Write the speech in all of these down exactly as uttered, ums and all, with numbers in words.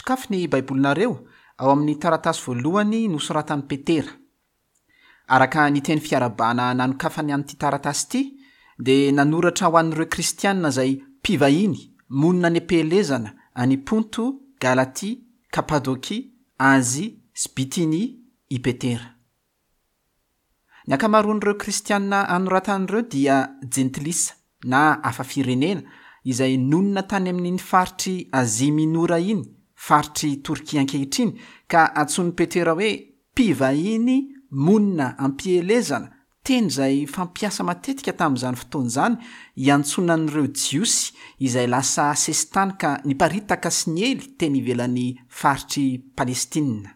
Sokafy ny Baibolinareo ao amin'ny taratasy voalohany nosoratan'i Petera. Araka ny teny fiarahabana nanokafany an'ity taratasy ity, dia nanoratra ho an'ireo Kristianina izay mpivahiny monina any am-pielezana any Ponto, Galatia, Kapadokia, Azia sy Bitinia i Petera. Ny ankamaroan'ireo Kristianina anoratan'ireo dia jentilisa na hafa firenena izay nonina tany amin'iny faritr'i Azia Minora iny, faritr'i Torkia ankehitriny, ka antsoin'i Petera hoe mpivahiny monina am-pielezana, teny izay fampiasa matetika tamin'izany fotoana izany hiantsoana an'ireo Jiosy izay lasa sesitany ka niparitaka sy niely teny ivelan'ny faritr'i Palestina.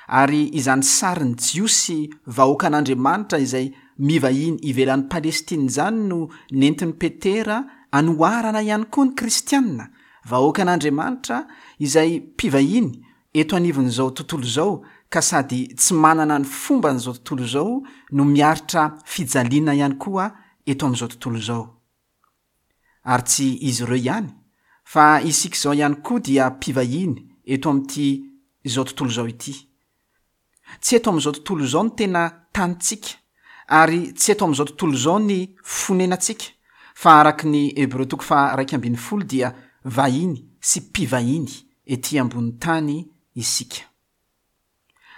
Ary izany sarin'ny Jiosy vahoakan'Andriamanitra izay mivahiny ivelan'i Palestina izany no nentin'i Petera anoharana ihany koa ny Kristianina, vahoakan'Andriamanitra izay mpivahiny eto anivon'izao tontolo izao ka sady tsy manana ny fomban'izao tontolo izao no miaritra fijaliana ihany koa eto amin'izao tontolo izao. Ary tsy izy ireo ihany, fa isika izao ihany koa dia mpivahiny eto amin'ity izao tontolo izao ity. Tsy eto amin'izao tontolo izao ny tena tanintsika, ary tsy eto amin'izao tontolo izao ny fonenantsika, fa araka ny Hebreo toko faha-iraika ambin'ny folo dia vahiny sy mpivahiny ety ambony tany isika.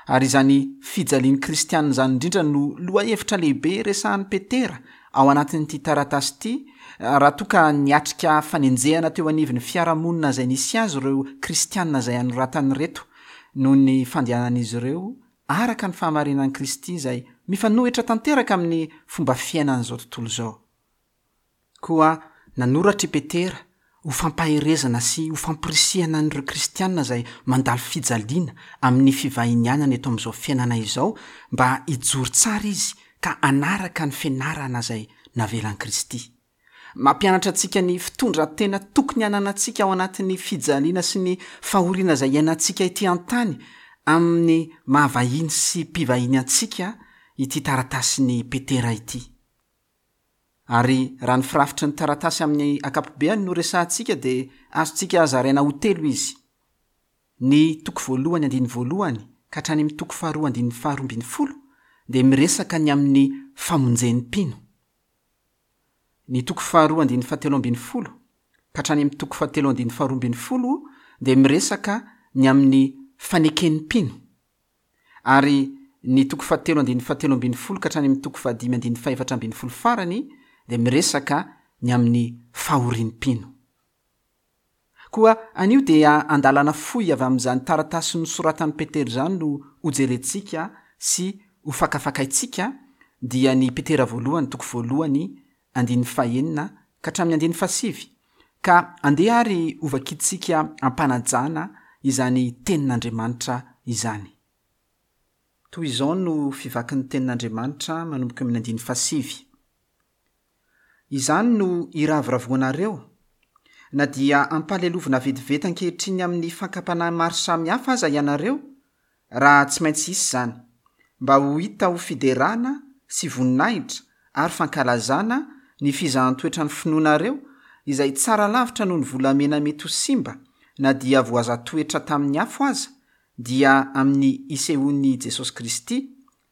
Ary izany fijalian'ny Kristianina izany indrindra no lohahevitra lehibe resahan'i Petera ao anatin'ity taratasy ity, raha toa ka niatrika fanenjehana teo anivon'ny fiarahamonina izay nisy azy ireo Kristianina izay anoratany ireto noho ny fandehanan'izy ireo araka ny fahamarinan'i Kristy izay mifanohitra tanteraka amin'ny fomba fiainan'izao tontolo izao. Koa nanoratra i Petera ho fampaherezana sy ho fampirisihana an'ireo Kristianina izay mandalo fijaliana amin'ny fivahinianana eto amin'izao fiainana izao mba hijoro tsara izy ka hanaraka ny fianarana izay navelan'i Kristy. Mampianatra antsika ny fitondran-tena tokony hananantsika ao anatin'ny fijaliana sy ny fahoriana izay iainantsika ety an-tany amin'ny maha-vahiny sy mpivahiny antsika ity taratasin'i Petera ity. Ary raha ny firafitry ny taratasy amin'ny ankapobeany no resahantsika dia azontsika zaraina ho telo izy. Ny toko voalohany andininy voalohany ka hatrany amin'ny toko faharoa andininy faharoa ambin'ny folo dia miresaka ny amin'ny famonjen'ny mpino. Ny toko faharoa andininy fahatelo ambin'ny folo ka hatrany amin'ny toko fahatelo andininy faharoa ambin'ny folo dia miresaka ny amin'ny faneken'ny mpino. Ary ny toko fahatelo andininy fahatelo ambin'ny folo ka hatrany amin'ny toko fahadimy andininy fahefatra ambin'ny folo farany dia miresaka ny amin'ny fahorian'ny mpino. Koa anio dia andalana fohy avy amin'izany taratasy nosoratan'i Petera izany no hojerentsika sy hofakafakaintsika, dia ny Petera voalohany toko voalohany andininy fahenina ka hatramin'ny andininy fahasivy. Ka andeha ary hovakintsika am-panajana izany tenin'Andriamanitra izany. Toy izao no fivakin'ny tenin'Andriamanitra manomboka amin'ny andininy fahasivy. Izany no iravoravoanareo, na dia ampahalelovina vetivety ankehitriny amin'ny fakam-panahy maro samihafa aza ianareo, raha tsy maintsy hisy izany, mba ho hita ho fiderana sy voninahitra ary fankalazana ny fizahan-toetra ny finoanareo, izay tsara lavitra noho ny volamena mety ho simba, na dia voaza-toetra tamin'ny afo aza, dia amin'ny isehoan'i Jesosy Kristy,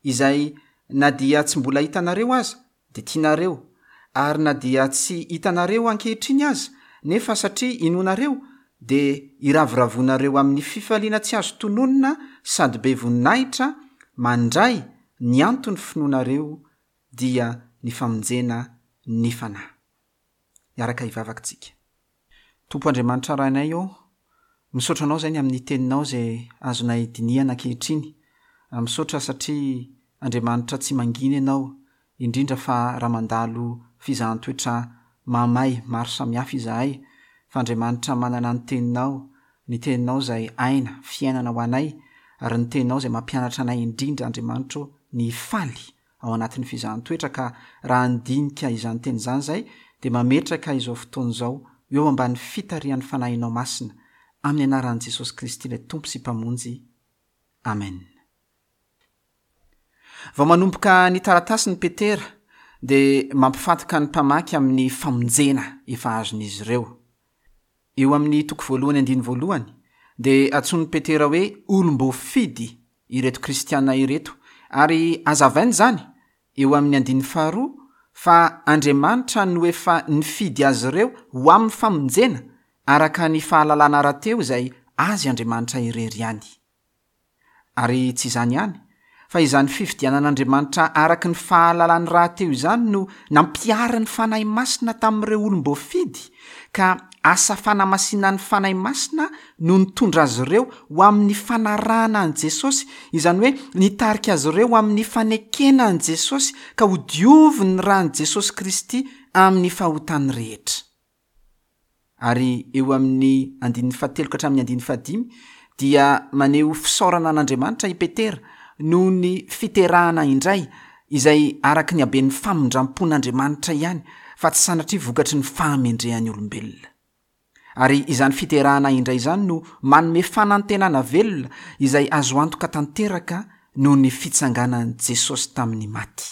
izay na dia tsy mbola hitanareo aza, dia tianareo, ary na dia tsy hitanareo ankehitriny aza, nefa satria inoanareo, dia iravoravoanareo amin'ny fifaliana tsy azo tononina sady be voninahitra, mandray ny anton'ny finoanareo, dia ny famonjena ny fanahy. Hiaraka hivavaka tsika. Tompo Andriamanitra Rainay ô, misaotra anao izay ny amin'ny teninao izay azonay dinihana ankehitriny. Misaotra satria Andriamanitra tsy mangina ianao, indrindra fa raha mandalo fizahan-toetra mahamay maro samihafa izahay, fa Andriamanitra manana ny teninao, ny teninao izay aina, fiainana ho anay, ary ny teninao izay mampianatra anay indrindra Andriamanitra ô, ny hifaly ao anatin'ny fizahan-toetra, ka raha handinika izany teny izany izay, dia mametraka izao fotoana izao eo ambany fitarihan'ny Fanahinao Masina, amin'ny anaran'i Jesosy Kristy ilay Tompo sy Mpamonjy. Amen. Vao manomboka ny taratasiny Petera dia mampifantoka ny mpamaky amin'ny famonjena efa azon'izy ireo. Eo amin'ny toko voalohany andininy voalohany dia antsoin'i Petera hoe olom-boafidy ireto kristiana ireto, ary hazavainy izany eo amin'ny andininy faharoa fa Andriamanitra no efa nifidy azy ireo ho amin'ny famonjena araka ny fahalalana rahateo izay azy Andriamanitra irery ihany. Ary tsy izany ihany, fa izany fifidianan'Andriamanitra araka ny fahalalany rahateo izany no nampiharin'ny Fanahy Masina tamin'ireo olom-boafidy, ka asa fanamasinan'ny Fanahy Masina no nitondra azy ireo ho amin'ny fanarahana an'i Jesosy, izany hoe nitarika azy ireo ho amin'ny fanekena an'i Jesosy ka hodiovin'ny ran'i Jesosy Kristy amin'ny fahotany rehetra. Ary eo amin'ny andininy fahatelo ka hatramin'ny andininy fahadimy dia maneho fisaorana an'Andriamanitra i Petera noho ny fiterahana indray izay araka ny haben'ny famindram-pon'Andriamanitra ihany fa tsy sanatria vokatry ny fahamendrehan'ny olombelona. Ary izany fiterahana indray izany no manome fanantenana velona izay azo antoka tanteraka noho ny fitsanganan'i Jesosy tamin'ny maty.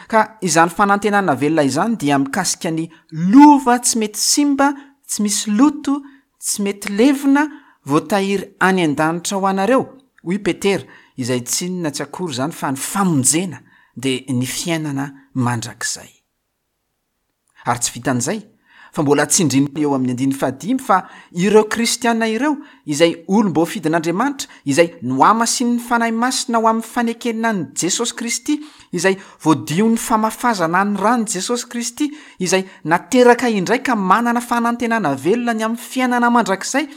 Ka izany fanantenana velona izany dia mikasika ny lova tsy mety simba, tsy misy loto, tsy mety levona, voatahiry any an-danitra ho anareo, hoy Petera, izay tsy inona tsy akory izany fa ny famonjena dia ny fiainana mandrakizay. Ary tsy vitan'izay, fa mbola tsindriny eo amin'ny andininy fahadimy fa ireo kristiana ireo izay olom-boafidin'Andriamanitra, izay nohamasinin'ny Fanahy Masina ho amin'ny fanekena an'i Jesosy Kristy, izay voadion'ny famafazana ny ran'i Jesosy Kristy, izay nateraka indray ka manana fanantenana velona ny amin'ny fiainana mandrakizay,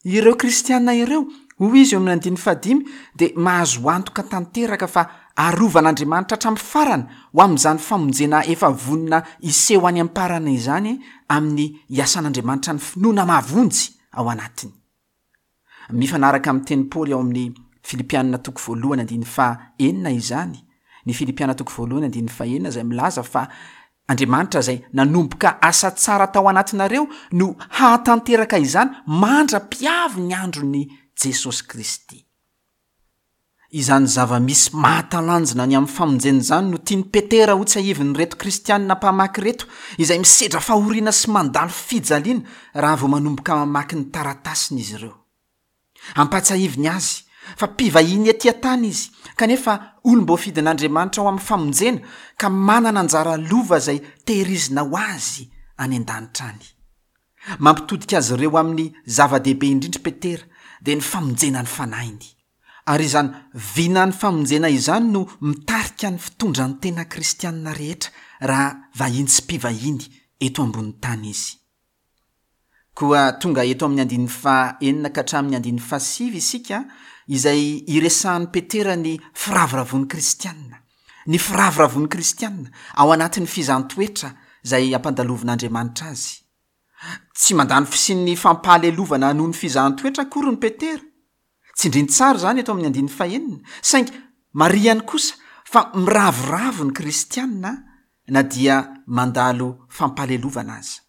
ireo kristiana ireo, hoy izy eo amin'ny andininy fahadimy, dia mahazo antoka tanteraka fa arovan'Andriamanitra hatramin'ny farany ho amin'izany famonjena efa vonona hiseho any am-parana izany amin'ny hiasan'Andriamanitra ny finoana mahavonjy ao anatiny. Mifanaraka amin'ny tenin'i Paoly ao amin'ny Filipiana toko voalohany andininy fahenina izany, ny Filipiana toko voalohany andininy fahenina izay milaza fa Andriamanitra izay nanomboka asa tsara tao anatinareo no hahatanteraka izany mandra-piavy ny andron'i Jesosy Kristy. Izany zava-misy mahatalanjona ny amin'ny famonjena izany no tian'i Petera hotsiahivin'ireto kristianina mpamaky ireto, izay misedra fahoriana sy mandalo fijaliana raha vao manomboka mamaky ny taratasiny izy ireo. Ampahatsiahiviny azy fa mpivahiny ety an-tany izy, kanefa olom-boafidin'Andriamanitra ao amin'ny famonjena ka manana anjara lova izay tehirizina ho azy any an-danitra any. Mampitodika azy ireo amin'ny zava-dehibe indrindra Petera, dia ny famonjena ny fanahiny. Ary izany vinan'ny famonjena izany no mitarika ny fitondran-tena kristianina rehetra raha vahiny sy mpivahiny eto ambony tany izy. Koa tonga eto amin'ny andininy fahenina ka hatramin'ny andininy fahasivy isika, izay iresahan'i Petera ny firavoravoan'ny kristianina. Ny firavoravoan'ny kristianina ao anatin'ny fizahàn-toetra izay ampandalovin'Andriamanitra azy. Tsy mandà ny fisian'ny fampahalelovana noho ny fizahàn-toetra akory ny Petera. Tsindriny tsara izany eto amin'ny andininy fahenina, saingy marihany kosa fa miravoravo ny kristianina na dia mandalo fampahalelovana aza.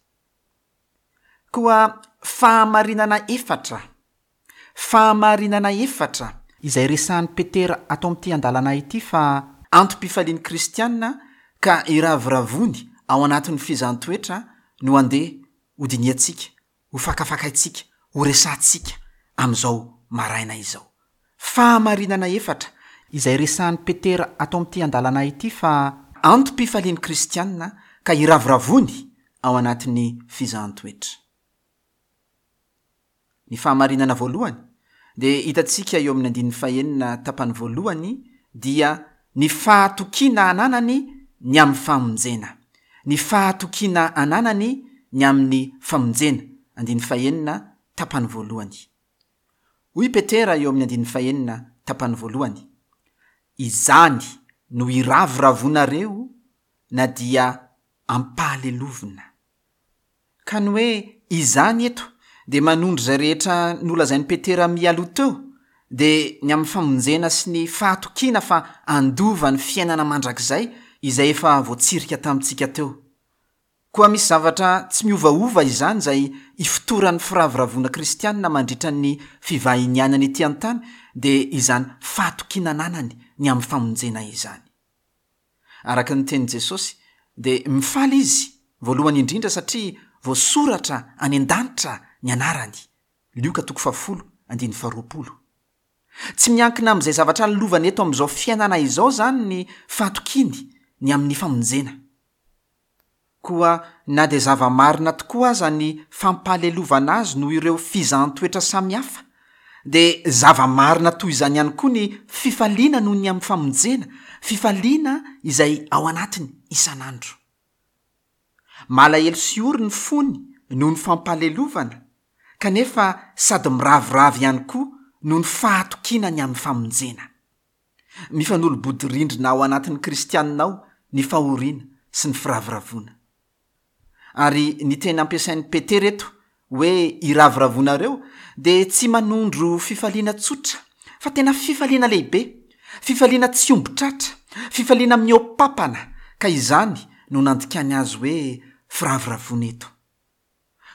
Koa fahamarinana efatra, fahamarinana efatra, izay resahan'i Petera ato amin'ity andalana ity fa antom-pifalian'ny kristianina ka iravoravoany ao anatin'ny fizahàn-toetra no andeha hodinihantsika, hofakafakaintsika, horesahantsika amin'izao maraina izao. Fahamarinana efatra, izay resahan'i Petera ato amin'ity andalana ity fa antom-pifalian'ny kristianina ka iravoravoany ao anatin'ny fizahàn-toetra. Ny fahamarinana voalohany dia hitantsika eo amin'ny andininy fahenina tapany voalohany dia ny fahatokiana ananany ny amin'ny famonjena. Ny fahatokiana ananany ny amin'ny famonjena, andininy fahenina tapany voalohany. Hoy Petera eo amin'ny andininy fahenina tapany voalohany, Izany no iravoravoanareo na dia ampahalelovina. Ka ny hoe izany eto dia manondro izay rehetra nolazain'i Petera mialoha teo, dia ny amin'ny famonjena sy ny fahatokiana fa handova ny fiainana mandrakizay izay efa voatsirika tamintsika teo. Koa misy zavatra tsy miovaova izany izay ifotoran'ny firavoravoana kristianina mandritra ny fivahinianany ety an-tany, dia izany fahatokiana ananany ny amin'ny famonjena izany. Araka ny tenin'i Jesosy, dia mifaly izy voalohany indrindra satria voasoratra any an-danitra ny anarany. Lioka toko fahafolo, andininy faharoapolo. Tsy miankina amin'izay zavatra lovany eto amin'izao fiainana izao izany ny fahatokiany ny amin'ny famonjena. Koa na dia zava-marina tokoa aza ny fampahalelovana azy noho ireo fizahan-toetra samihafa, dia zava-marina toy izany ihany koa ny fifaliana noho ny amin'ny famonjena, fifaliana izay ao anatiny isan'andro. Malahelo sy ory ny fony noho ny fampahalelovana, kanefa sady miraviravy ihany koa noho ny fahatokiana ny amin'ny famonjena. Mifanolo-bodirindrina ao anatin'ny kristianina ao ny fahoriana sy ny firavoravoana. Ary ny teny ampiasain'i Petera eto hoe iravoravoanareo dia tsy manondro fifaliana tsotra, fa tena fifaliana lehibe, fifaliana tsy omby tratra, fifaliana mihoa-papana, ka izany no nandikany azy hoe firavoravoana eto.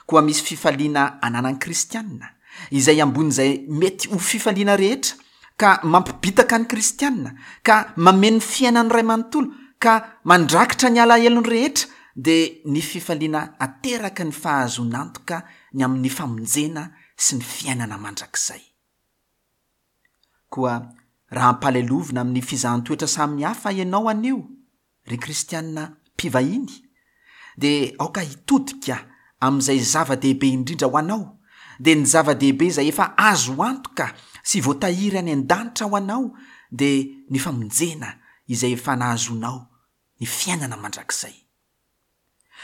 Koa misy fifaliana ananan'ny kristianina, izay ambonin'izay mety ho fifaliana rehetra, ka mampibitaka ny kristianina, ka mameno ny fiainany iray manontolo, ka mandrakitra ny alahelony rehetra, dia ny fifaliana ateraky ny fahazoan'antoka ny amin'ny famonjena sy ny fiainana mandrakizay. Koa raha ampahalelovina amin'ny fizahan-toetra samihafa ianao anio, ry kristianina mpivahiny, dia aoka hitodika amin'izay zava-dehibe indrindra ho anao, dia ny zava-dehibe izay efa azo antoka sy voatahiry any an-danitra ho anao, dia ny famonjena izay efa nahazoanao ny fiainana mandrakizay.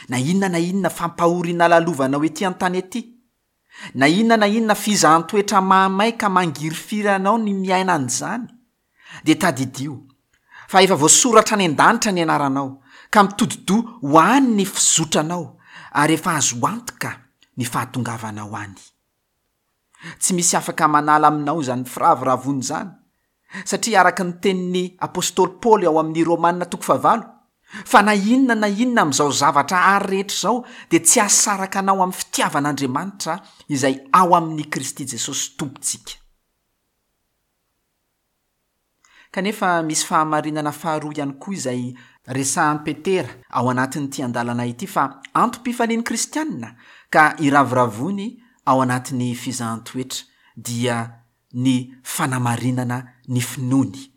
Na inona na inona fampahoriana lalovanao ety an-tany ety, na inona na inona fizahan-toetra mahamay ka mangirifiry anao ny miaina an'izany, dia tadidio fa efa voasoratra any an-danitra ny anaranao, ka mitodi-doha ho any ny fizotranao, ary efa azo antoka ny fahatongavanao any. Tsy misy afaka manala aminao izany firavoravoana izany, satria araka ny tenin'ny apostoly Paoly ao amin'ny Romana toko fahavalo, fa na inona na inona amin'izao zavatra ary rehetra izao dia tsy hahasaraka anao amin'ny fitiavan'Andriamanitra izay ao amin'i Kristy Jesosy Tompontsika. Kanefa misy fahamarinana faharoa ihany koa izay resahan'i Petera ao anatin'ity andalana ity fa antom-pifalian'ny kristianina ka iravoravoany ao anatin'ny fizahan-toetra, dia ny fanamarinana ny finoany.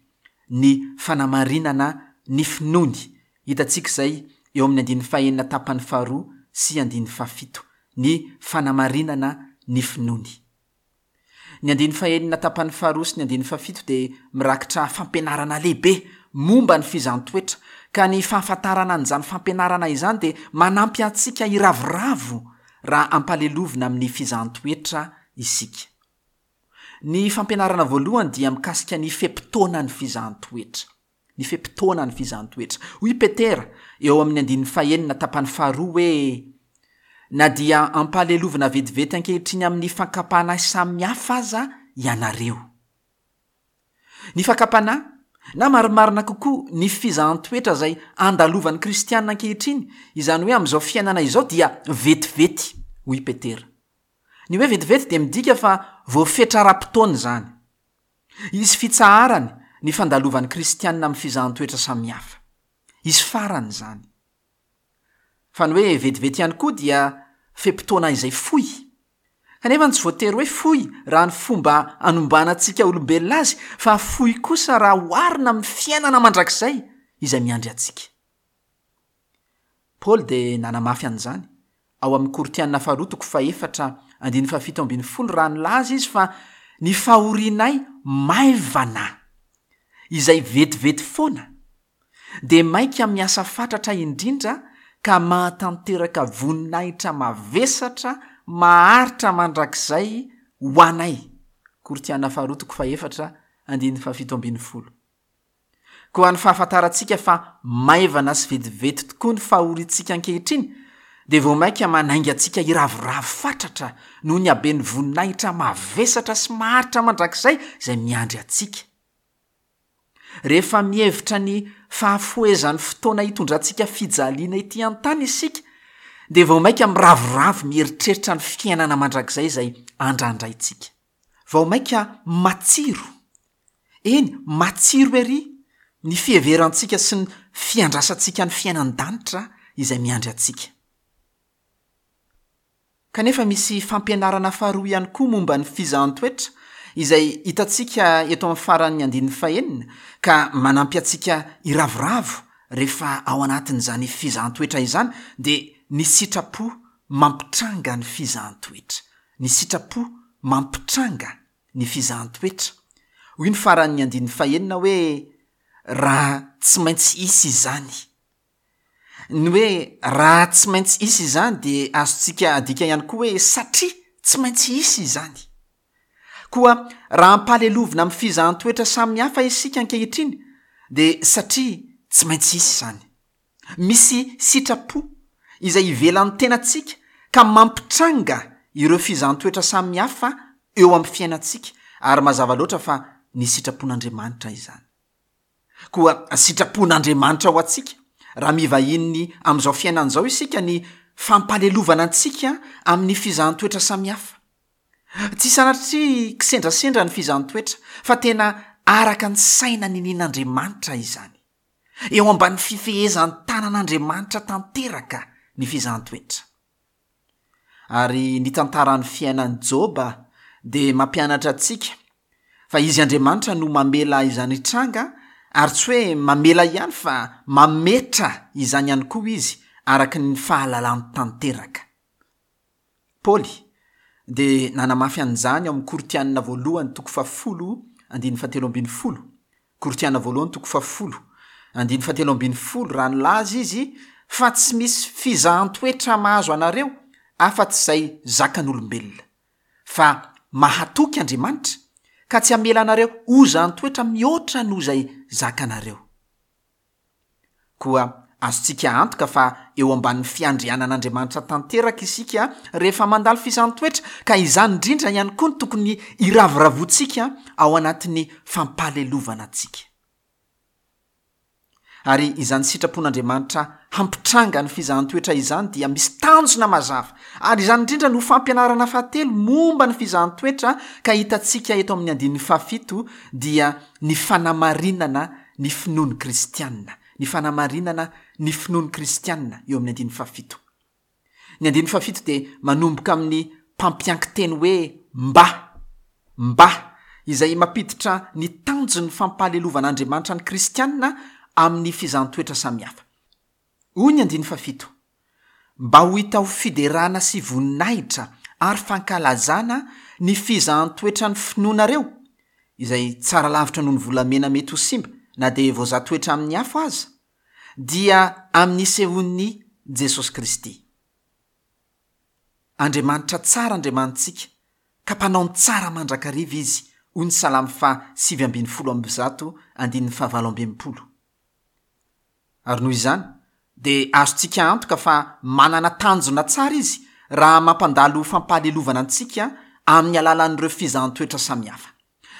Ny fanamarinana ny finoany. Hitantsika izay eo amin'ny andininy fahenina tapany faharoa sy andininy fahafito. Ny fanamarinana ny finoany. Ny andininy fahenina tapany faharoa sy ny andininy fahafito dia mirakitra fampianarana lehibe momba ny fizahan-toetra, ka ny fahafantarana an'izany fampianarana izany dia manampy antsika hiravoravo raha ampalelovina amin'ny fizahan-toetra isika. Ny fampianarana voalohany dia mikasika ny fe-potoanan'ny fizahan-toetra. Ny fe-potoanan'ny fizahan-toetra. Hoy Petera eo amin'ny andininy fahenina tapany faharoa hoe: na dia ampahalelovina vetivety ankehitriny amin'ny fakam-panahy samihafa aza ianareo. Ny fakam-panahy, na marimarina kokoa ny fizahan-toetra izay andalovan'ny kristianina ankehitriny, izany hoe amin'izao fiainana izao, dia vetivety, hoy Petera. Ny hoe vetivety dia midika fa voafetra ara-potoana izany. Hisy fitsaharany ny fandalovan'ny kristianina amin'ny fizahan-toetra samihafa. Hisy farany izany. Fa ny hoe vetivety ihany koa dia fe-potoana izay fohy. Kanefa tsy voatery hoe fohy raha ny fomba anombanantsika olombelona azy, fa fohy kosa raha oharina amin'ny fiainana mandrakizay izay miandry antsika. Paoly dia nanamafy an'izany ao amin'ny Korintiana faharoa toko fahefatra andininy fahafito ambin'ny folo raha nilaza izy fa ny fahorianay maivana izay vetivety foana dia maika miasa fatratra indrindra ka mahatanteraka voninahitra mavesatra maharitra mandrakizay ho anay. Korintiana faharoa toko fahefatra andininy fahafito ambin'ny folo. Koa ny fahafantarantsika fa maivana sy vetivety tokoa ny fahoriantsika ankehitriny dia vao mainka manainga antsika hiravoravo fatratra noho ny haben'ny voninahitra mavesatra sy maharitra mandrakizay izay miandry antsika. Rehefa mihevitra ny fahafohezan'ny fotoana hitondrantsika fijaliana ety an-tany isika, dia vao mainka miravoravo mieritreritra ny fiainana mandrakizay izay andrandraintsika. Vao mainka matsiro, eny matsiro ery ny fiheverantsika sy ny fiandrasantsika ny fiainan-danitra izay miandry antsika. Kanefa misy fampianarana faharoa ihany koa momba ny fizahan-toetra izay hitantsika eto amin'ny faran'ny andininy fahenina ka manampy antsika hiravoravo rehefa ao anatin'izany fizahan-toetra izany dia ny sitrapo mampitranga ny fizahan-toetra. Ny sitrapo mampitranga ny fizahan-toetra. Hoy ny faran'ny andininy fahenina hoe raha tsy maintsy hisy izany. Ny hoe raha tsy maintsy hisy izany dia azontsika adika ihany koa hoe satria tsy maintsy hisy izany. Koa raha ampahalelovina amin'ny fizahan-toetra samihafa isika ankehitriny dia satria tsy maintsy hisy izany. Misy sitrapo izay ivelan'ny tenantsika ka mampitranga ireo fizahan-toetra samihafa eo amin'ny fiainantsika ary mazava loatra fa ny sitrapon'Andriamanitra izany. Koa sitrapon'Andriamanitra ho antsika raha mivahiny amin'izao fiainana izao isika ny fampahalelovana antsika amin'ny fizahan-toetra samihafa. Tsy sanatria kisendrasendra ny fizahan-toetra fa tena araka ny saina ninian'Andriamanitra izany. Eo ambany fifehezan-tanan'Andriamanitra tanteraka ny fizahan-toetra. Ary ny tantaran'ny fiainan'i Joba dia mampianatra antsika fa izy Andriamanitra no mamela izany hitranga ary tsy hoe mamela ihany fa mametra izany ihany koa izy araka ny fahalalany tanteraka. Paoly dia nanamafy an'izany ao amin'ny Korintiana voalohany toko fahafolo andininy fahatelo ambin'ny folo. Korintiana voalohany toko fahafolo andininy fahatelo ambin'ny folo raha nilaza izy fa tsy misy fizahan-toetra mahazo anareo afa-tsy izay zakan'olombelona. Fa mahatoky Andriamanitra ka tsy hamela anareo hozahan-toetra mihoatra noho izay zakanareo. Koa azontsika antoka fa eo ambanin'ny fiandrianan'Andriamanitra tanteraka isika rehefa mandalo fizahan-toetra ka izany indrindra ihany koa no tokony hiravoravoantsika ao anatin'ny fampahalelovana antsika. Ary izany sitrapon'Andriamanitra hampitranga ny fizahan-toetra izany dia misy tanjona mazava. Ary izany indrindra no fampianarana fahatelo momba ny fizahan-toetra ka hitantsika eto amin'ny andininy fahafito dia ny fanamarinana ny finoan'ny kristianina. Ny fanamarinana ny finoan'ny kristianina eo amin'ny andininy fahafito. Ny andininy fahafito dia manomboka amin'ny mpampiankin-teny hoe mba, mba, izay mampiditra ny tanjon'ny fampahaleovan'Andriamanitra ny kristianina amin'ny fizahan-toetra samihafa. Hoy ny andininy fahafito, mba ho hita ho fiderana sy voninahitra ary fankalazana ny fizahan-toetra ny finoanareo, izay tsara lavitra noho ny volamena mety ho simba na dia voazaha toetra amin'ny afo aza, dia amin'ny sehon'ny Jesosy Kristy. Andriamanitra tsara Andriamanitsika, ka mpanao ny tsara mandrakariva izy, hoy ny Salamo faha sivy ambin'ny folo amby zato andininy fahavalo amby enimpolo. Ary noho izany, dia azontsika antoka fa manana tanjona tsara izy raha mampandalo fampahalelovana antsika amin'ny alalan'ireo fizahan-toetra samihafa.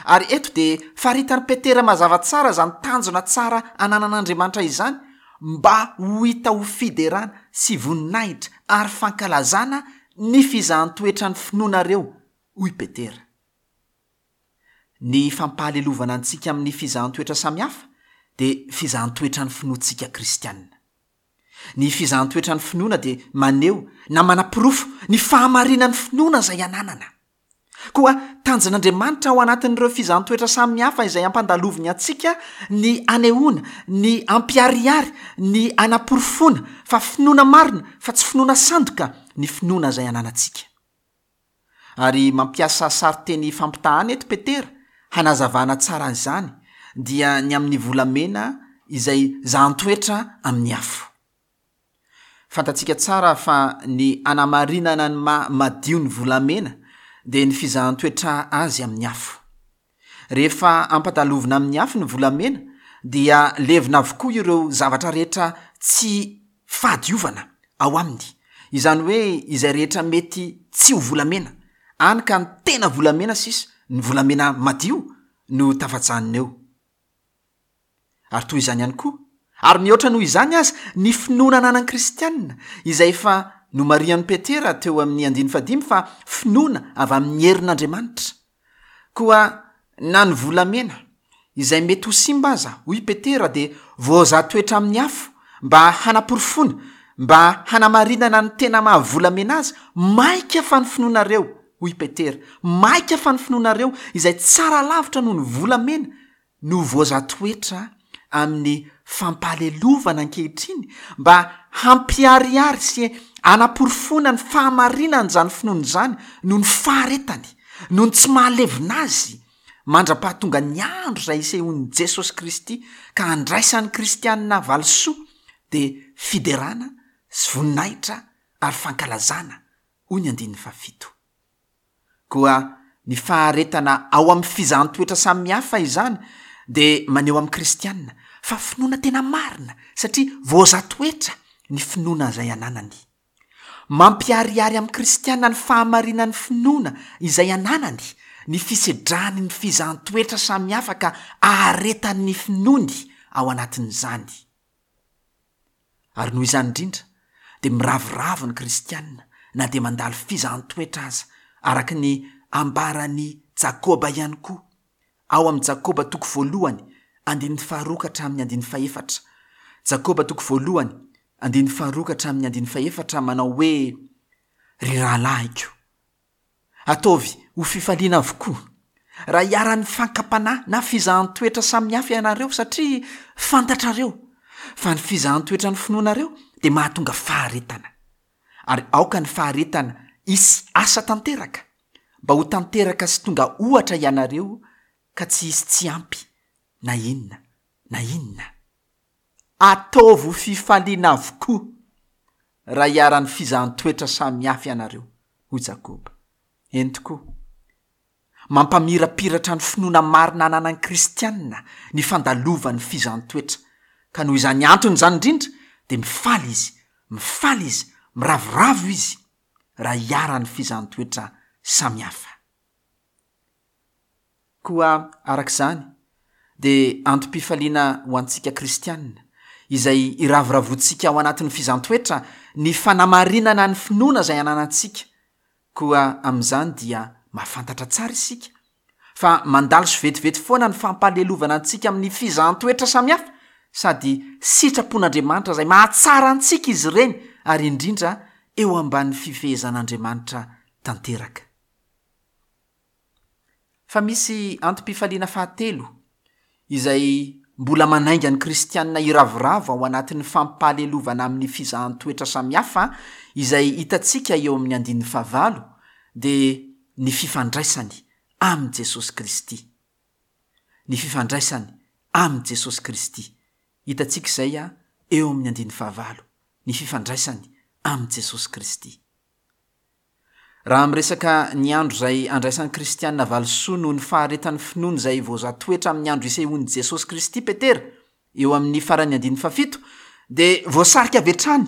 Ary eto dia faritan'i Petera mazava tsara izany tanjona tsara ananan'Andriamanitra izany mba ho hita ho fiderana sy voninahitra ary fankalazana ny fizahan-toetra ny finoanareo, hoy Petera. Ny fampahalelovana antsika amin'ny fizahan-toetra samihafa dia fizahan-toetra ny finoantsika kristianina. Ny fizahan-toetra ny finoana dia maneho na manaporofo ny fahamarinan'ny finoana izay ananana. Koa tanjon'Andriamanitra ao anatin'ireo fizahan-toetra samihafa izay ampandaloviny antsika ny anehoana, ny ampiharihary, ny anaporofoana fa finoana marina fa tsy finoana sandoka ny finoana izay ananantsika. Ary mampiasa sarin-teny fampitahana eto Petera hanazavana tsara izany dia ny amin'ny volamena izay zahan-toetra amin'ny afo. Fantatsika tsara fa ny anamarinana ny maha madio ny volamena dia ny fizahan-toetra azy amin'ny afo. Rehefa ampandalovina amin'ny afo ny volamena dia levona avokoa ireo zavatra rehetra tsy fahadiovana ao aminy. Izany hoe izay rehetra mety tsy ho volamena, hany ka ny tena volamena sisa, ny volamena madio no tafajanona eo. Ary toy izany ihany koa, ary mihoatra noho izany aza, ny finoana ananan'ny kristianina, izay efa nomarihan'i Petera teo amin'ny andininy fahadimy fa finoana avy amin'ny herin'Andriamanitra. Koa na ny volamena, izay mety ho simba aza, hoy Petera, dia voazaha toetra amin'ny afo mba hanaporofoana, Mba hanamarinana ny tena maha volamena azy, maika fa ny finoanareo, hoy Petera, maika fa ny finoanareo izay tsara lavitra noho ny volamena no voazatoetra amin'ny fampahalelovana ankehitriny mba hampiharihary sy hanaporofoana ny fahamarinan'izany finoana izany noho ny faharetany, noho ny tsy mahalevona azy, mandra-pahatonga ny andro izay hisehoan'i Jesosy Kristy ka handraisan'ny kristiana valisoa dia fiderana sy voninahitra ary fankalazana, hoy ny andininy fahafito. Koa ny faharetana ao amin'ny fizahan-toetra samihafa izany dia maneho amin'ny kristiana fa finoana tena marina satria voazaha-toetra ny finoana izay ananany. Mampiharihary amin'ny kristiana ny fahamarinan'ny finoana izay ananany ny fisedrany ny fizahan-toetra samihafa ka aharetany ny finoany ao anatin'izany. Ary noho izany indrindra dia miravoravo ny kristiana na dia mandalo fizahan-toetra aza, araka ny ambaran'i Jakoba ihany koa, ao amin'i Jakoba toko voalohany, andininy faharoa ka hatramin'ny andininy fahefatra. Jakoba toko voalohany, andininy faharoa ka hatramin'ny andininy fahefatra manao hoe, Ry rahalahiko, ataovy ho fifaliana avokoa raha iharan'ny fankam-panahy na fizahan-toetra samihafa ianareo, satria fantatrareo fa ny fizahan-toetra ny finoanareo dia mahatonga faharetana. Ary aoka ny faharetana hisy asa tanteraka, mba ho tanteraka sy tonga ohatra ianareo ka tsy hisy tsy ampy na inona na inona. Ataovy ho fifaliana avokoa raha iharan'ny fizahan-toetra samihafa ianareo, hoy Jakoba. Eny tokoa, mampamirapiratra ny finoana marina ananan'ny kristiana ny fandalovan'ny fizahan-toetra, ka noho izany antony izany indrindra dia mifaly izy, mifaly izy, miravoravo izy raha iharan'ny fizahan-toetra samihafa. Koa araka izany dia antom-pifaliana ho antsika kristiana izay iravoravoantsika ao anatin'ny fizahan-toetra ny fanamarinana ny finoana izay ananantsika. Koa amin'izany dia mahafantatra tsara isika fa mandalo sy vetivety foana ny fampahalelovana antsika amin'ny fizahan-toetra samihafa, sady sitrapon'Andriamanitra izay mahatsara antsika izy ireny, ary indrindra eo ambanin'ny fifehezan'Andriamanitra tanteraka. Fa misy antom-pifaliana fahatelo izay mbola manainga ny kristiana hiravoravo ao anatin'ny fampahalelovana amin'ny fizahan-toetra samihafa izay hitantsika eo amin'ny andininy fahavalo, dia ny fifandraisany amin'i Jesosy Kristy. Ny fifandraisany amin'i Jesosy Kristy. Hitantsika izay eo amin'ny andininy fahavalo, ny fifandraisany amin'i Jesosy Kristy. Raha miresaka ny andro izay andraisan'ny kristiana valisoa noho ny faharetan'ny finoany izay voazatoetra amin'ny andro isehoan'i Jesosy Kristy Petera, eo amin'ny faran'ny andininy fahafito, dia voasarika avy hatrany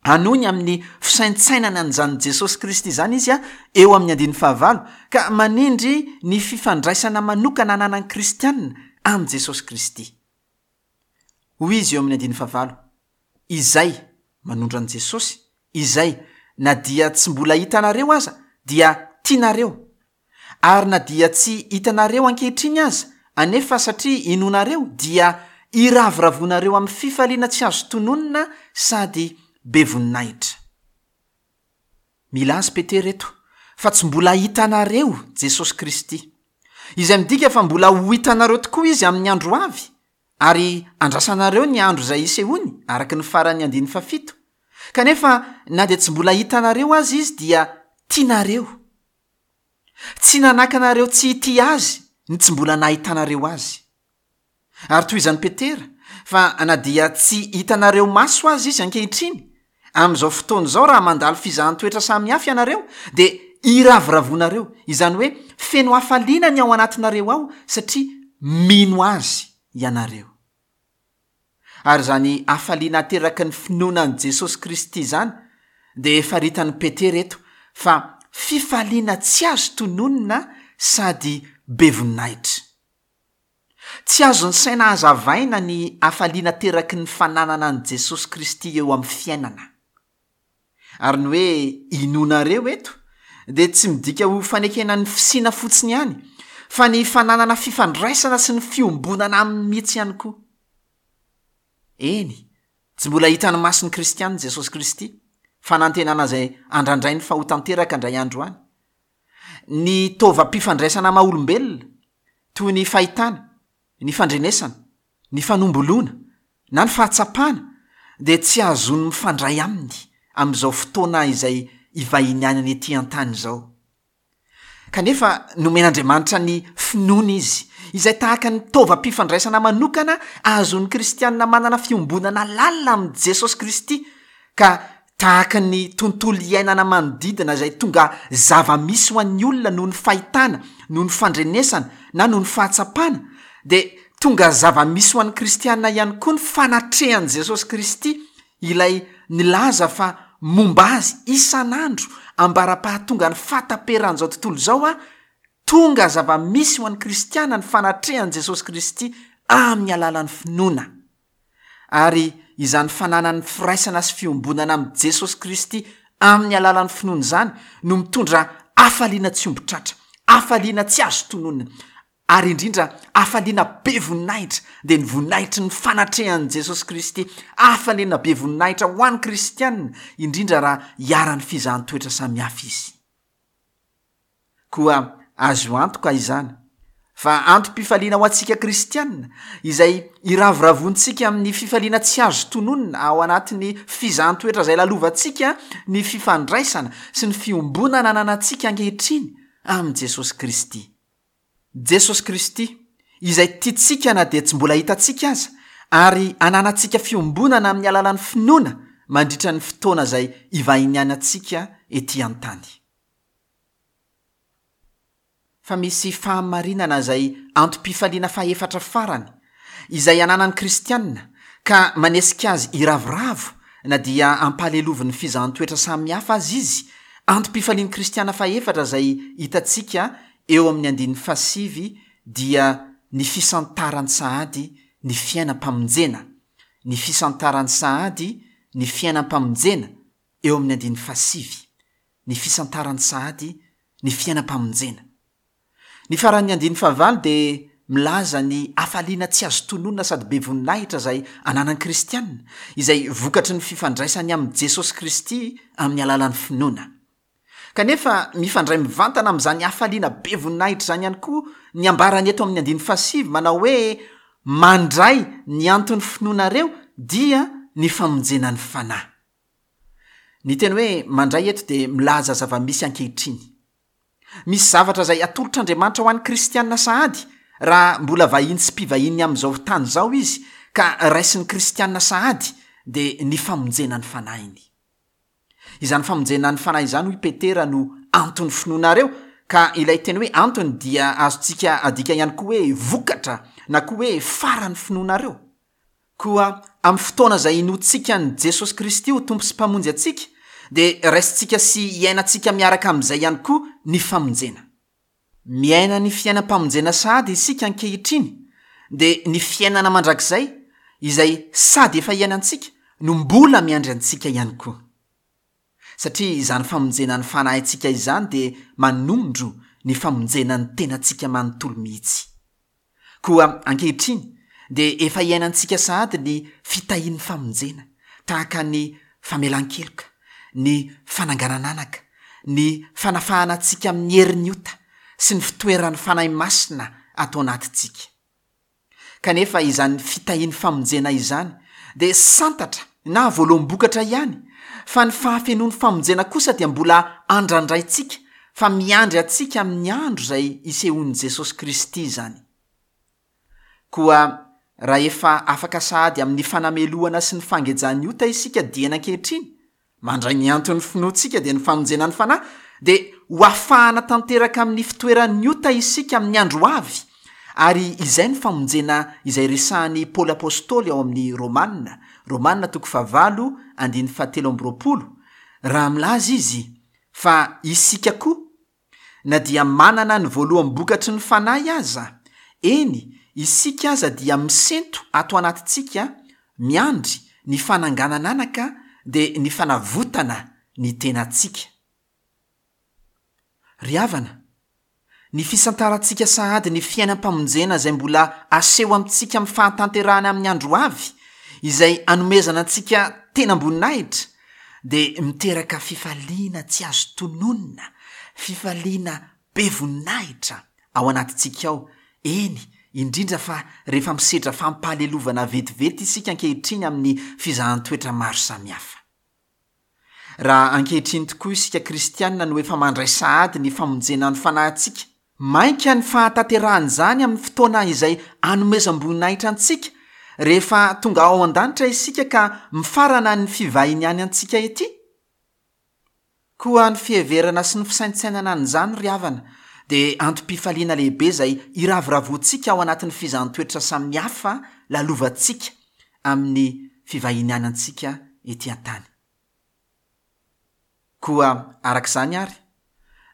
hanohy ny amin'ny fisaintsainana an'izany Jesosy Kristy izany izy eo amin'ny andininy fahavalo, ka manindry ny fifandraisana manokana ananan'ny kristiana amin'i Jesosy Kristy. Hoy izy eo amin'ny andininy fahavalo, izay manondro an'i Jesosy, izay na dia tsy mbola hitanareo aza dia tianareo, ary na dia tsy hitanareo ankehitriny aza anefa satria inoanareo dia iravoravoanareo amin'ny fifaliana tsy azo tononina sady be voninahitra. Milaza Petera eto fa tsy mbola hitanareo Jesosy Kristy, izay midika fa mbola ho hitanareo tokoa izy amin'ny andro avy, ary andrasanareo ny andro izay hisehoany araka ny faran'ny andininy fahafito. Kanefa na dia tsy mbola hitanareo azy izy dia tianareo. Tsy nanakanareo tsy hitia azy ny tsy mbola nahitanareo azy. Ary tohizan'i Petera fa na dia tsy hitanareo maso azy izy ankehitriny, amin'izao fotoana izao raha mandalo fizahan-toetra samihafa ianareo dia iravoravoanareo, izany hoe feno hafaliana ny ao anatinareo ao satria mino azy ianareo. Ary izany hafaliana ateraky ny finoana an'i Jesosy Kristy izany dia faritan'i Petera eto fa fifaliana tsy azo tononina sady be voninahitra. Tsy azon'ny saina hazavaina ny hafaliana ateraky ny fananana an'i Jesosy Kristy eo amin'ny fiainana. Ary ny hoe inoanareo eto dia tsy midika ho fanekena ny fisiana fotsiny ihany, fa ny fananana fifandraisana sy ny fiombonana aminy mihitsy ihany koa. Eny, Tsy mbola hitan'ny mason'ny kristiana Jesosy Kristy, fanantenana izay andrandrainy fa ho tanteraka indray andro any. Ny taovam-pifandraisana maha olombelona, toy ny fahitana, ny fandrenesana, ny fanomboloana, na ny fahatsapana, dia tsy ahazoany mifandray aminy amin'izao fotoana izay ivahinianany ety an-tany izao. Kanefa nomen'Andriamanitra ny finoana izy, izay tahaka ny taovam-pifandraisana manokana ahazoan'ny kristiana manana fiombonana lalina amin'i Jesosy Kristy, ka tahaka ny tontolo iainana manodidina izay tonga zava-misy ho an'ny olona noho ny fahitana, noho ny fandrenesana, na noho ny fahatsapana, dia tonga zava-misy ho an'ny kristiana ihany koa ny fanatrehan'i Jesosy Kristy, ilay nilaza fa momba azy isan'andro ambara-pahatonga ny fahataperan'izao tontolo izao a, tonga zava-misy ho an'ny kristiana ny fanatrehan'i Jesosy Kristy amin'ny alalan'ny finoana. Ary izany fananany firaisana sy fiombonana amin'i Jesosy Kristy amin'ny alalan'ny finoana izany no mitondra hafaliana tsy omby tratra, hafaliana tsy azo tononina, ary indrindra hafaliana be voninahitra, dia ny voninahitry ny fanatrehan'i Jesosy Kristy, hafaliana be voninahitra ho an'ny kristiana, indrindra raha iharan'ny fizahan-toetra samihafa izy. Koa azo antoka izany fa antom-pifaliana ho antsika kristiana, izay iravoravoantsika amin'ny fifaliana tsy azo tononina ao anatin'ny fizahan-toetra izay lalovantsika, ny fifandraisana sy ny fiombonana ananantsika ankehitriny amin'i Jesosy Kristy. Jesosy Kristy, izay tiantsika na dia tsy mbola hitantsika aza, ary ananantsika fiombonana amin'ny alalan'ny finoana mandritra ny fotoana izay ivahinianantsika ety an-tany. Fa misy fahamarinana izay antom-pifaliana fahefatra farany, izay ananan'ny kristiana, ka manesika azy hiravoravo na dia ampahalelovin'ny fizahan-toetra samihafa aza izy, antom-pifalian'ny kristiana fahefatra izay hitantsika eo amin'ny andininy fahasivy dia ny fisantarany sahady ny fiainam-pamonjena, ny fisantarany sahady ny fiainam-pamonjena eo amin'ny andininy fahasivy, ny fisantarany sahady ny fiainam-pamonjena. Ny faran'ny andininy fahavalo dia milaza ny hafaliana tsy azo tononina sady be voninahitra izay ananan'ny kristiana, izay vokatry ny fifandraisany amin'i Jesosy Kristy amin'ny alalan'ny finoana. Kanefa mifandray mivantana amin'izany hafaliana be voninahitra izany ihany koa ny ambarany eto amin'ny andininy fahasivy manao hoe mandray ny anton'ny finoanareo dia ny famonjena ny fanahy. Ny teny hoe mandray eto dia milaza zava-misy ankehitriny. Misy zavatra izay atolotr'Andriamanitra ho an'ny kristiana sahady raha mbola vahiny sy mpivahiny amin'izao tany izao izy, ka raisin'ny kristiana sahady dia ny famonjena ny fanahiny. Izany famonjena ny fanahy izany hoy Petera no anton'ny finoanareo, ka ilay teny hoe antony dia azontsika adika ihany koa hoe vokatra na koa hoe faran'ny finoanareo. Koa amin'ny fotoana izay inoantsika an'i Jesosy Kristy ho Tompo sy Mpamonjy antsika, dia raisintsika sy iainantsika miaraka amin'izay ihany koa ny famonjena. Miaina ny fiainam-pamonjena sahady isika ankehitriny, dia ny fiainana mandrakizay izay sady efa iainantsika no mbola miandry antsika ihany koa. Satria izany famonjena ny fanahintsika izany dia manondro ny famonjena ny tenantsika manontolo mihitsy. Koa ankehitriny dia efa iainantsika sahady ny fitahian'ny famonjena, tahaka ny famelan-keloka, ny fananganan'anaka, ny fanafahana antsika amin'ny herin'ny ota sy ny fitoeran'ny Fanahy Masina ato anatintsika. Kanefa izany fitahian'ny famonjena izany dia santatra na voaloham-bokatra ihany, fa ny fahafenoan'ny famonjena kosa dia mbola andrandraintsika fa miandry antsika amin'ny andro izay isehoan'i Jesosy Kristy izany. Koa raha efa afaka sahady amin'ny fanamelohana sy ny fangejan'ny ota isika dieny ankehitriny, mandray ny anton'ny finoantsika dia ny famonjena ny fanahy, dia ho afahana tanteraka amin'ny fitoeran'ny ota isika amin'ny andro avy, ary izay ny famonjena izay resahan'i Paoly Apostoly ao amin'ny Romana, Romana toko fahavalo andininy fahatelo amby roapolo, raha milaza izy fa isika koa, na dia manana ny voaloham-bokatry ny fanahy aza, eny, isika aza dia misento ato anatintsika miandry ny fananganan'anaka dia ny fanavotana ny tenantsika. Ry havana, ny fisantarantsika sahady ny fiainam-pamonjena izay mbola aseho amintsika amin'ny fahatanterahana amin'ny andro avy, izay anomezana antsika tenam-boninahitra, dia miteraka fifaliana tsy azo tononina, fifaliana be voninahitra ao anatintsika ao, eny, indrindra fa rehefa misedra fampahalelovana vetivety isika ankehitriny amin'ny fizahan-toetra maro samihafa. Raha ankehitriny tokoa isika kristianina no efa mandray sahady ny famonjena ny fanahintsika, mainka ny fahatanterahan'izany amin'ny fotoana izay anomezam-boninahitra antsika rehefa tonga ao an-danitra isika ka mifarana ny fivahiniany antsika ety. Koa ny fiheverana sy ny fisaintsainana an'izany ry havana dia antom-pifaliana lehibe izay iravoravoantsika ao anatin'ny fizahan-toetra samihafa lalovantsika amin'ny fivahiniany antsika ety an-tany. Koa araka izany ary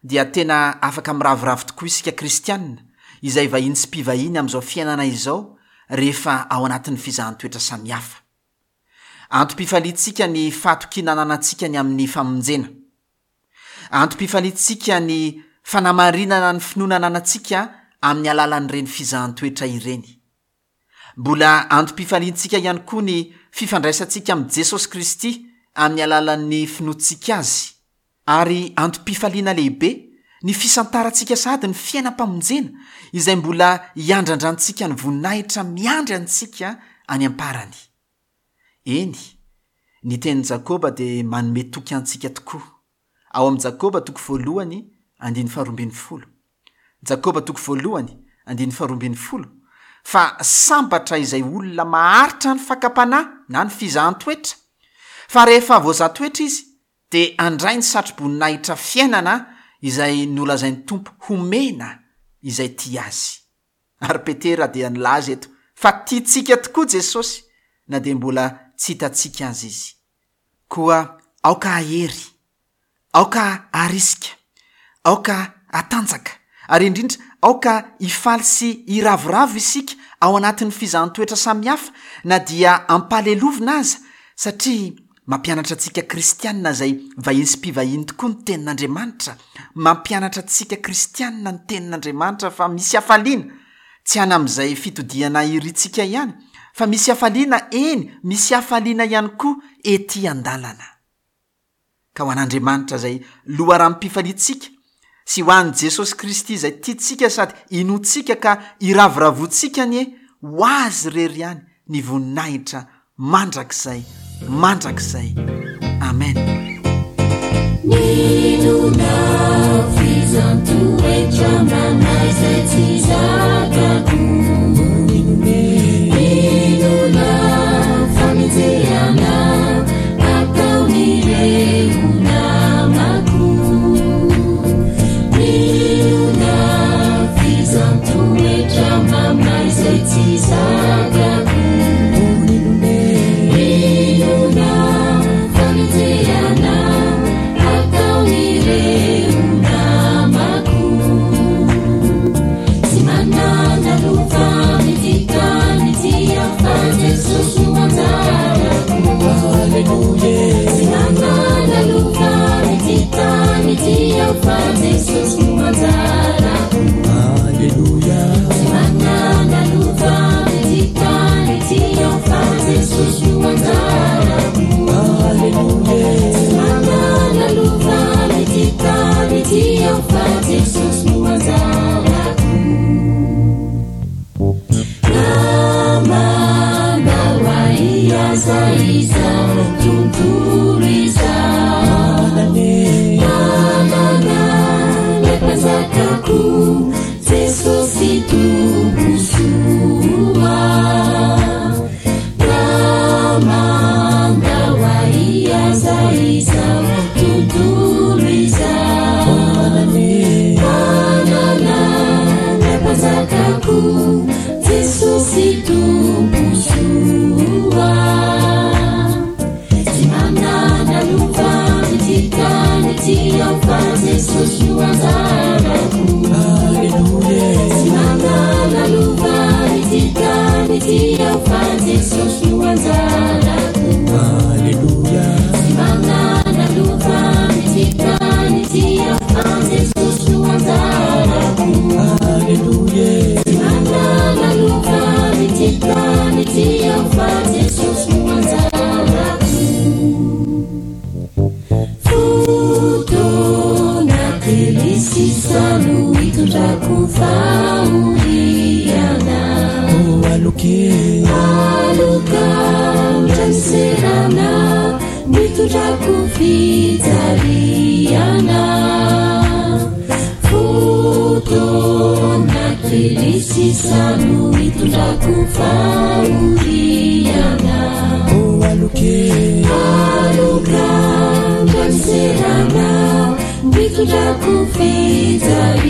dia tena afaka miravoravo tokoa isika kristianina izay vahiny sy mpivahiny amin'izao fiainana izao rehefa ao anatin'ny fizahan-toetra samihafa. Antom-pifaliantsika ny fahatokiana ananantsika ny amin'ny famonjena. Antom-pifaliantsika ny fanamarinana ny finoana ananantsika amin'ny alalan'ireny fizahan-toetra ireny. Mbola antom-pifaliantsika ihany koa ny fifandraisantsika amin'i Jesosy Kristy amin'ny alalan'ny finoantsika azy. Ary antom-pifaliana lehibe ny fisantarantsika sahady ny fiainam-pamonjena izay mbola hiandrandrantsika ny voninahitra miandry antsika any am-parany. Eny, ny tenin'i Jakoba dia manome toky antsika tokoa. Ao amin'i Jakoba toko voalohany andininy faharoa ambin'ny folo. Jakoba toko voalohany andininy faharoa ambin'ny folo, fa sambatra izay olona maharitra ny fakam-panahy na ny fizahan-toetra, fa rehefa voazaha-toetra izy dia handray ny satro-boninahitra fiainana izay nolazain'ny Tompo homena izay tia azy. Ary Petera dia nilaza eto fa tiantsika tokoa Jesosy na dia mbola tsy hitantsika azy izy. Koa aoka hahery, aoka harisika, aoka hatanjaka, ary indrindra aoka hifaly sy hiravoravo isika ao anatin'ny fizahan-toetra samihafa na dia ampahalelovina aza, satria mampianatra antsika kristianina izay vahiny sy mpivahiny tokoa ny tenin'Andriamanitra. Mampianatra antsika kristianina ny tenin'Andriamanitra fa misy hafaliana, tsy any amin'izay fitodihana irintsika ihany, fa misy hafaliana, eny, misy hafaliana ihany koa ety an-dalana. Ka ho an'Andriamanitra izay loharanom-pifaliantsika sy ho an'i Jesosy Kristy izay tiantsika sady inoantsika ka iravoravoantsika anie, ho azy irery ihany ny voninahitra mandrakizay mandrakizay. Amen. Ninona fizan-toetra mamay izay tsy zakako. Ninona fanenjehana ataon'ireo namako. Ninona fizan-toetra mamay izay tsy zakako. Ninona fanenjehana ataon'ireo namako. Tsy manana lova amin'ity tany ity aho fa Jesosy no anjarako. Tsy manana lova amin'ity tany ity aho fa Jesosy no anjarako. Tsy manana lova amin'ity tany ity aho fa Jesosy no anjarako. Tsy manana lova amin'ity tany ity aho fa Jesosy no anjarako. Namana ho ahy aza izao tontolo izao. Manana ilay mpanjakako, Jesosy Tompo soa. Namana ho ahy aza izao tontolo izao. Manana ilay mpanjakako, Jesosy Tompo soa. Tsy manana lova amin'ity tany ity aho fa Jesosy no anjarako. Tsy manana lova amin'ity tany ity aho fa Jesosy no anjarako. Tsy manana lova amin'ity tany ity aho fa Jesosy no anjarako. Tsy manana lova amin'ity tany ity aho fa Jesosy no Aloke Aloka ohatran'ny nitondrako fijaliana. Fotoana kely sisa no hitondrako fahoriana. Oh aloke Aloka ohatran'ny nitondrako fijaliana.